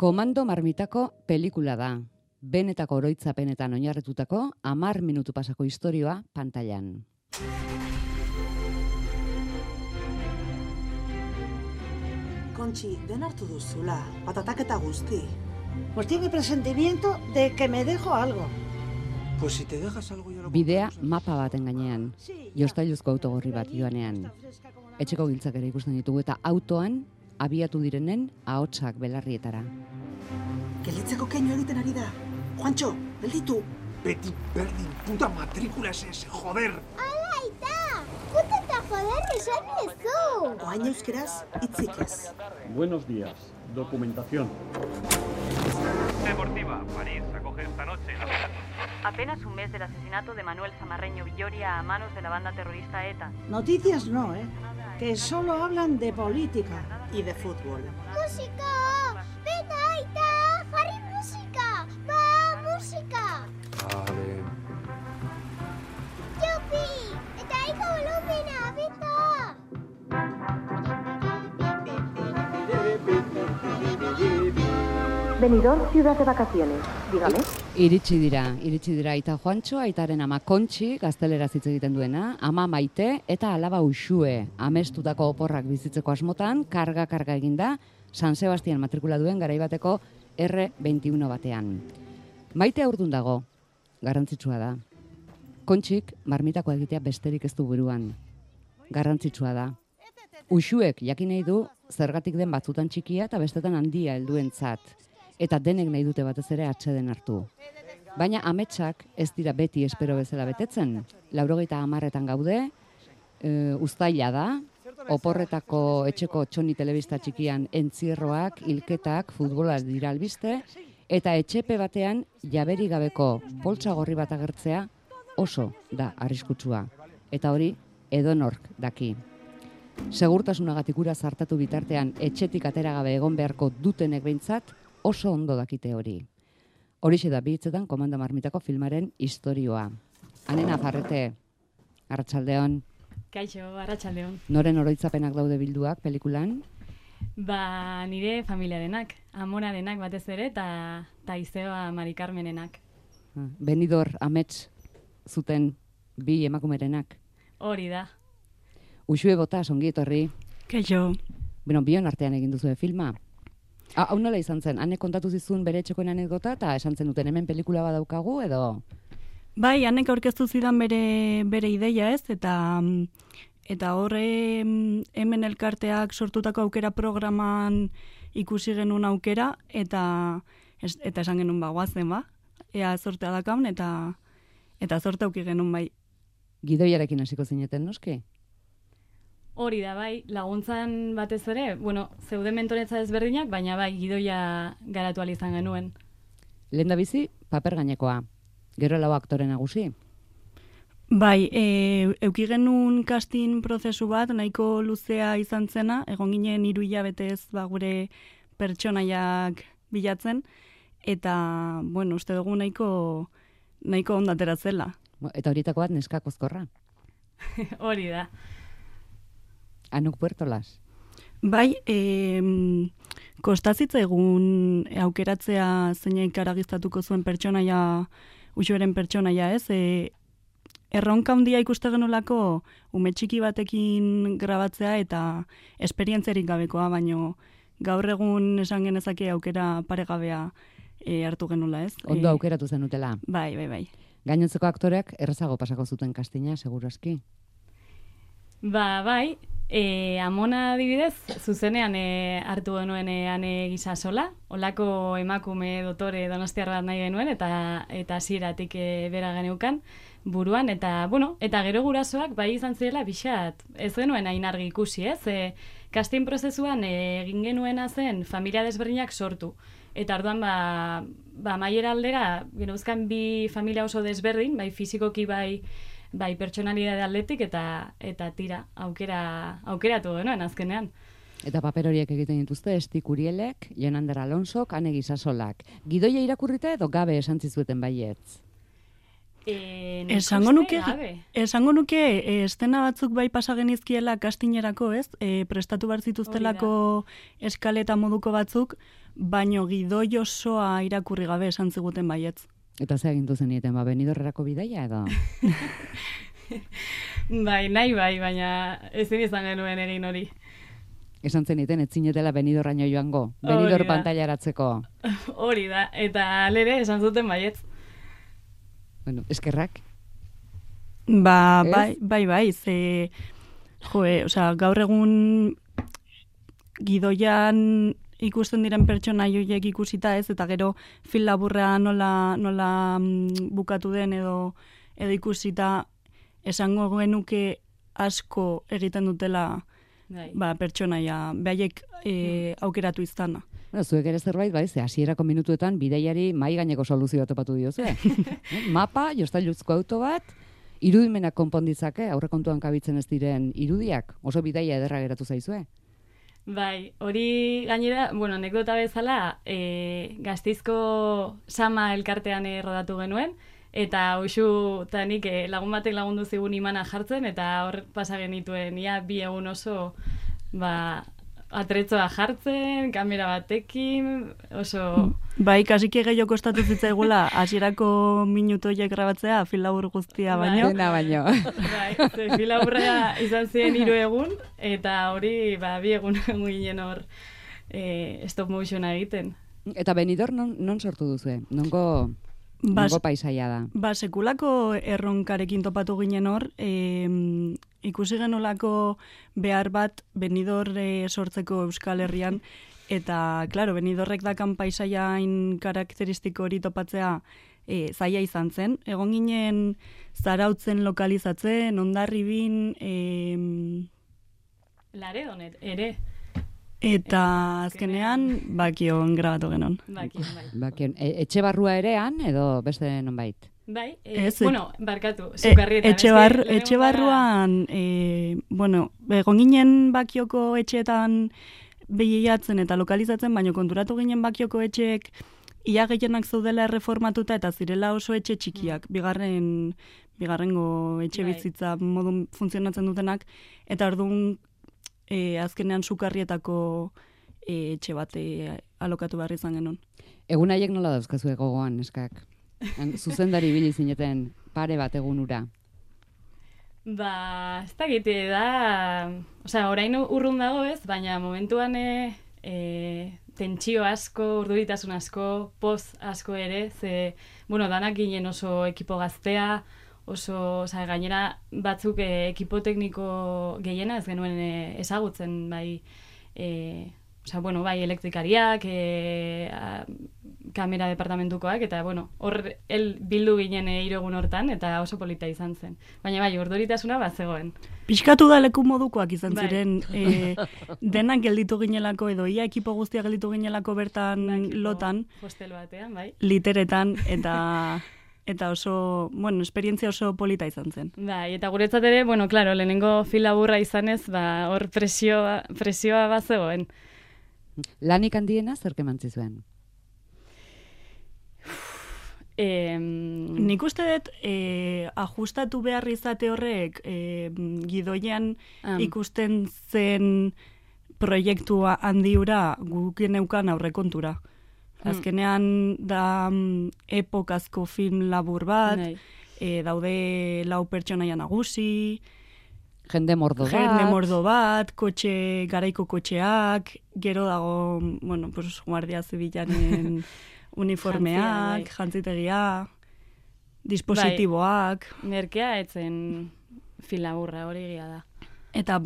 Komando Marmitako pelikula da. Benetako oroitzapenetan oinarritutako 10 minutu pasako istorioa pantailan. Kontxi, den hartu duzula, patatak eta guzti. Pues tiene presentimiento de que me dejo algo. Pues si te dejas algo ya lo Bidea compramos. mapa baten gainean, jostailuzko autogorri bat joanean. Etxeko giltzak ere ikusten ditugu eta autoan abiatu direnen ahotsak belarrietara. Gelitzeko keinu egiten ari da. Juantxo, gelditu. Beti berdin, puta matrikula ese, joder! Aita! Puta eta joder esan ezu! Oain euskeraz, hitzik ez. Buenos días. Documentación. Deportiva, París acoge esta noche. Apenas un mes del asesinato de Manuel Zamarreño Villoria a manos de la banda terrorista ETA. Noticias no, que solo hablan de política. Y de fútbol. Musika! Beta, Aita! Jarri musika! Ba, musika! Vale. Jupi! Eta aiko volumena, beta! Benidorm, ciudad de vacaciones. Dígame. Iritsi dira Aita Juantxo, Aitaren ama Kontxi, gazteleraz hitz egiten duena, ama Maite eta alaba Uxue, amestutako oporrak bizitzeko asmotan, karga eginda, San Sebastian matrikula duen garaibateko R21 batean. Maite aurdun dago, garrantzitsua da. Kontxik marmitako egitea besterik ez du buruan. Garrantzitsua da. Uxuek jakin nahi du zergatik den batzutan txikia eta bestetan handia helduentzat. Eta denek nahi dute batez ere atseden hartu. Baina ametsak ez dira beti espero bezala betetzen. 90etan gaude, uztaila da, oporretako etxeko txoni telebista txikian entzierroak, hilketak, futbola dira albiste, eta etxepe batean jaberi gabeko poltsa gorri bat agertzea oso da arriskutsua. Eta hori edonork daki. Segurtasunagatik ura zartatu bitartean etxetik atera gabe egon beharko dutenek behintzat oso ondo dakite hori. Horixe da bi hitzetan Komando Marmitako filmaren istorioa. Anena Farrete, arratsaldeon. Kaixo, arratsaldeon. Noren oroitzapenak daude bilduak pelikulan? Ba, nire familiarenak, amonarenak batez ere, eta Izeba Mari Carmenenak. Benidor amets zuten bi emakumerenak. Hori da. Uxue Botas, ongi etorri. Kaixo. Bueno, bion artean egin duzu filma. Hau nola izan zen, Anek kontatu zizun bere etxekoen anekdota eta esan zen duten hemen pelikula badaukagu edo? Bai, Anek aurkeztu zidan bere ideia ez, eta horre hemen elkarteak sortutako aukera programan ikusi genuen aukera, eta esan genuen guazen ea zortea dakaun, eta zorte auki genuen bai. Gidoiarekin hasiko zineten noski? Hori da, bai, laguntzan batez ere, zeude mentoretza ezberdinak, baina bai, gidoia garatu izan genuen. Lehen da bizi, paper gainekoa. Gero lau aktore nagusi? Bai, euki genuen casting prozesu bat, nahiko luzea izan zena, egon ginen 3 hilabetez gure pertsonaiak bilatzen, eta, uste dugu nahiko ondatera zela. Eta horietako bat neska kozkorra? Hori da. Anuk Puertolas. Bai, kostazitza egun aukeratzea zeinek aragiztatuko zuen pertsonaia, Uxueren pertsonaia ez, erronka handia ikuste genolako ume txiki batekin grabatzea eta esperientzerik gabekoa, baino gaur egun esan genezake aukera paregabea hartu genula ez. Ondo aukeratu zenutela. Bai. Gainontzeko aktoreak errazago pasako zuten kastina, segurazki? Ba, bai, Amona adibidez, zuzenean hartu genuen Ane Gisasola, olako emakume dotore donostiar bat nahi genuen, eta hasieratik bera geneukan buruan, eta gero gurasoak bai izan zirela pixat, ez genuen hain argi ikusi, ez? Casting prozesuan egin genuena zen familia desberdinak sortu, eta orduan maiera aldera, genuzkan bi familia oso desberdin, bai fizikoki bai pertsonalidade atletik eta tira, aukeratu genuen azkenean. Eta paper horiek egiten dituzte Estik Urielek, Jonander Alonsok, Ane Gisasolak. Gidoia irakurrita edo gabe esan zizueten baietz? Esango nuke estena batzuk bai pasa genizkiela kastinerako, ez? Prestatu behar zituztelako eskaleta moduko batzuk, baino gidoi osoa irakurri gabe esan ziguten baietz. Eta ze agindu zenieten, Benidorrerako bidaia edo? Bai, nahi bai, baina ezin izan genuen egin hori. Esan zeniten, ez zinetela Benidorraino joango, Benidor pantailaratzeko. Hori da, eta alere esan zuten baietz. Bueno, eskerrak. Bai, ze... gaur egun gidoian ikusten diren pertsona joiek ikusita ez, eta gero film laburra nola bukatu den edo ikusita esango genuke asko egiten dutela pertsonaia, behaiek aukeratu izana. Bueno, zuek ere zerbait, ze hasierako minutuetan bidaiari mai gaineko soluzioa topatu diozu. Mapa, jostailuzko auto bat, irudimenak konponditzake, aurrekontuan kabitzen ez diren irudiak, oso bidaia ederra geratu zaizue. Bai, hori gainera, anekdota bezala, Gasteizko Sama elkartean rodatu genuen, eta hoxu tanik lagun batek lagundu zigun imana jartzen, eta hor pasa genituen, ia 2 egun oso, atretzoa jartzen, kamera batekin, oso... Bai, kasiki gehiago kostatu zitzaigula, hasierako minutoiek grabatzea, film labur guztia baino. Dena baino. Bai, film laburra izan ziren 3 egun, eta hori 2 egun ginen hor stop motiona egiten. Eta Benidorm non sortu duzue? Nongo paisaia da? Sekulako erronkarekin topatu ginen hor, ikusi genolako behar bat Benidorm sortzeko Euskal Herrian, eta, klaro, Benidorrek dakan paisaiain karakteristiko hori topatzea zaila izan zen. Egon ginen Zarautzen lokalizatzen, Hondarribin... Laredon ere. Eta azkenean, Bakion grabatu genon. Bakion. Etxe barrua erean, edo beste nonbait? Bai, barkatu, Zukarrietan. Etxe barruan, egon ginen Bakioko etxeetan behiatzen eta lokalizatzen, baina konturatu ginen Bakioko etxeek ia gehienak zaudela erreformatuta eta zirela oso etxe txikiak, bigarrengo etxe bizitza modun funtzionatzen dutenak, eta orduan azkenean Sukarrietako etxe bat alokatu behar izan genuen. Egun haiek nola dauzkazu gogoan, neskak? Zuzendari bili zineten pare bat egunura. Ez da gite da, orain urrun dago ez, baina momentuan tentsio asko, urduritasun asko, poz asko ere, danak ginen oso ekipo gaztea, oso, gainera batzuk ekipo tekniko gehiena ez genuen ezagutzen, bai elektrikariak, kamera departamentukoak, eta, hor bildu ginen 3 egun hortan, eta oso polita izan zen. Baina, urduritasuna zegoen. Pixkatu da leku modukoak izan ziren, denak gelditu ginelako, edo ia ekipo guztia gelditu ginelako bertan lotan, hostel batean, bai. Literetan, eta oso, esperientzia oso polita izan zen. Bai, eta guretzat ere, claro, lehenengo film laburra izanez, hor presioa bazegoen. Lanik handiena zer kemantzi zuen? Nik uste dut ajustatu behar izate horrek gidoian ikusten zen proiektua handiura guken neukan aurrekontura. Azkenean da epokazko film labur bat, daude 4 pertsonaia nagusi, jende mordo bat, garaiko kotxeak, gero dago, guardia zibilanen uniformeak, jantzitegia, dispositiboak. Merkea etzen film laburra hori egia da. Eta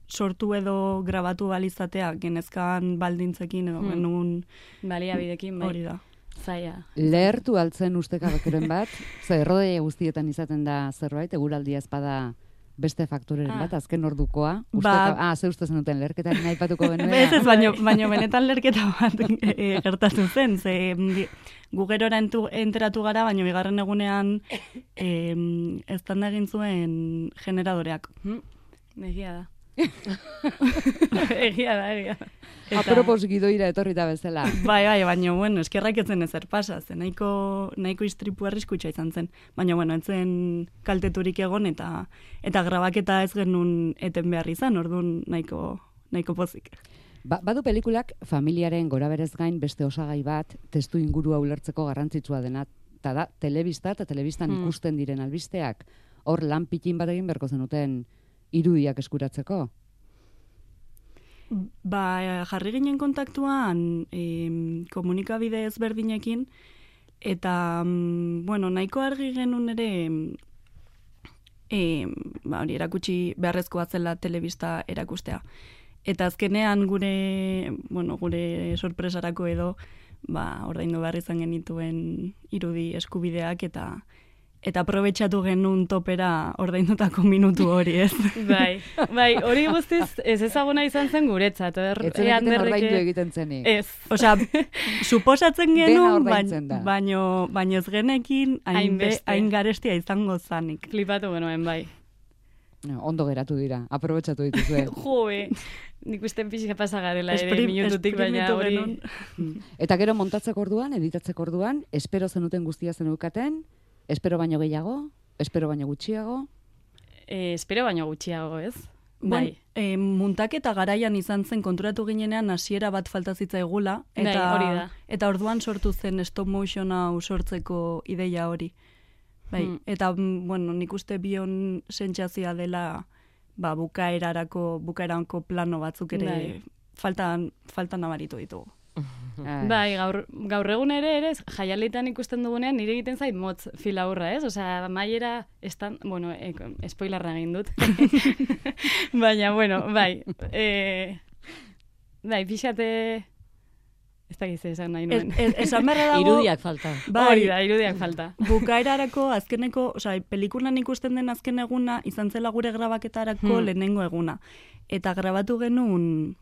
sortu edo grabatu balizatea genezkan baldintzekin edo genuen baliabidekin, bai. Hori da. Zaila. Lehertu altzen ustekabekoren bat, errodeia guztietan izaten da zerbait, eguraldia ezpada beste faktoreren bat, azken ordukoa. Ze uste zenuten lerketaren aipatuko benuen. Ez, baina benetan lerketa bat gertatu zen, ze gu gerora enteratu gara, baina bigarren egunean eztanda egin zuen generadoreak. Egia da. Egia da. Apropos gidoira etorrita bezala. Bai, baina, eskerrak etzen ezer pasa, zen nahiko istripu arriskutsa izan zen. Baina, entzen kalteturik egon eta grabaketa ez genuen eten behar izan, orduan nahiko pozik. Badu pelikulak familiaren goraberez gain beste osagai bat, testu ingurua ulertzeko garrantzitsua dena, eta da, telebista eta telebistan ikusten diren albisteak. Hor lan pitin bat egin berko zenuten irudiak eskuratzeko? Jarri ginen kontaktuan komunikabide ezberdinekin, eta, nahiko argi genuen ere, hori erakutsi beharrezkoa zela telebista erakustea. Eta azkenean gure sorpresarako edo, ordaindu behar izan genituen irudi eskubideak eta aprobetxatu genuen topera ordaindutako minutu hori, ez? Bai, hori guztiz ez ezaguna izan zen guretzat. Ez zenekiten ordaindu egiten zenik. Ez. Osea, suposatzen genuen, baino ez genekin hain garestia izango zanik. Flipatu genuen, bai. Ondo geratu dira, aprobetxatu dituzue. Joe, nik usten pixka pasagarela ere minututik, baina hori. Eta gero montatzeko orduan, editatzeko orduan, espero zenuten guztia zenukaten, espero baino gehiago, espero baino gutxiago? Espero baino gutxiago, ez? Bai. Muntaketa garaian izan zen konturatu ginenean hasiera bat falta zitzaigula, eta orduan sortu zen stop motion hau sortzeko ideia hori. Bai, eta, nik uste bion sentsazioa dela bukaeranko plano batzuk ere faltan nabaritu ditugu. Bai, gaur egun ere jaialetan ikusten dugunean nire egiten zait motz filaurra, ez? Osea, maiera spoilerra egin dut. Baina, bai. Bai, pixate... Ez da gize esan nahi nuen. Esan berra dago... Irudiak falta. Hori da, irudiak falta. Bukaerarako azkeneko, pelikulan ikusten den azken eguna, izan zela gure grabaketarako lehenengo eguna. Eta grabatu genuen,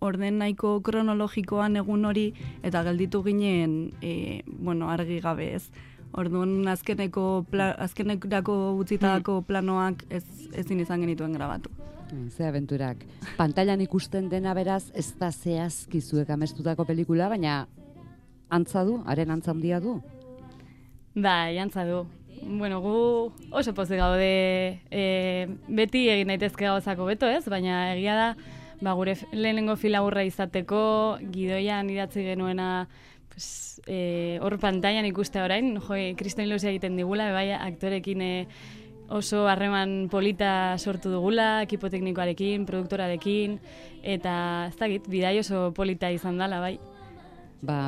orden nahiko kronologikoan egun hori, eta gelditu ginen, argi gabe ez. Orduan azkenerako utzitako planoak ezin izan genituen grabatu. Ze abenturak. Pantailan ikusten dena beraz, ez da zehazki zuek amestutako pelikula, baina haren antza handia du? Bai, antza du. Gu oso pozik gaude beti egin daitezke gauzako beto, ez? Baina egia da, gure lehenengo filaburra izateko, gidoian idatzi genuena hor pantailan ikuste orain, kriston ilusia egiten digula, bai aktorekin oso harreman polita sortu dugula, ekipo teknikoarekin, produktorarekin, eta ez dakit, bidai oso polita izan dela, bai.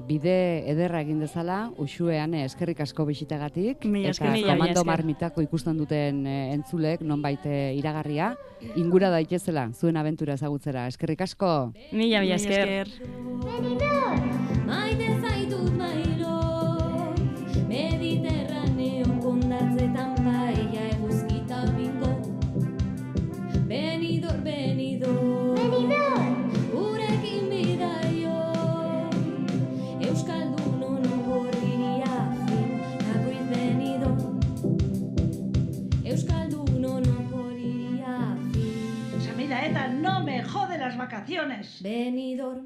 Bide ederra egin dezala, Uxuean eskerrik asko bisitagatik, eta Komando Marmitako ikusten duten entzulek, nonbait iragarria, ingura daitezela, zuen abentura ezagutzera. Eskerrik asko! Mila esker! Maite zaitut mailo, Mediterraneo kondatzetan baia eguzkita bingo. Benidor, gurekin bidaio, Euskaldun ono gorriria fin, Gabriel Benidor. Euskaldun ono gorriria fin. Samira, no me jode las vacaciones. Benidor.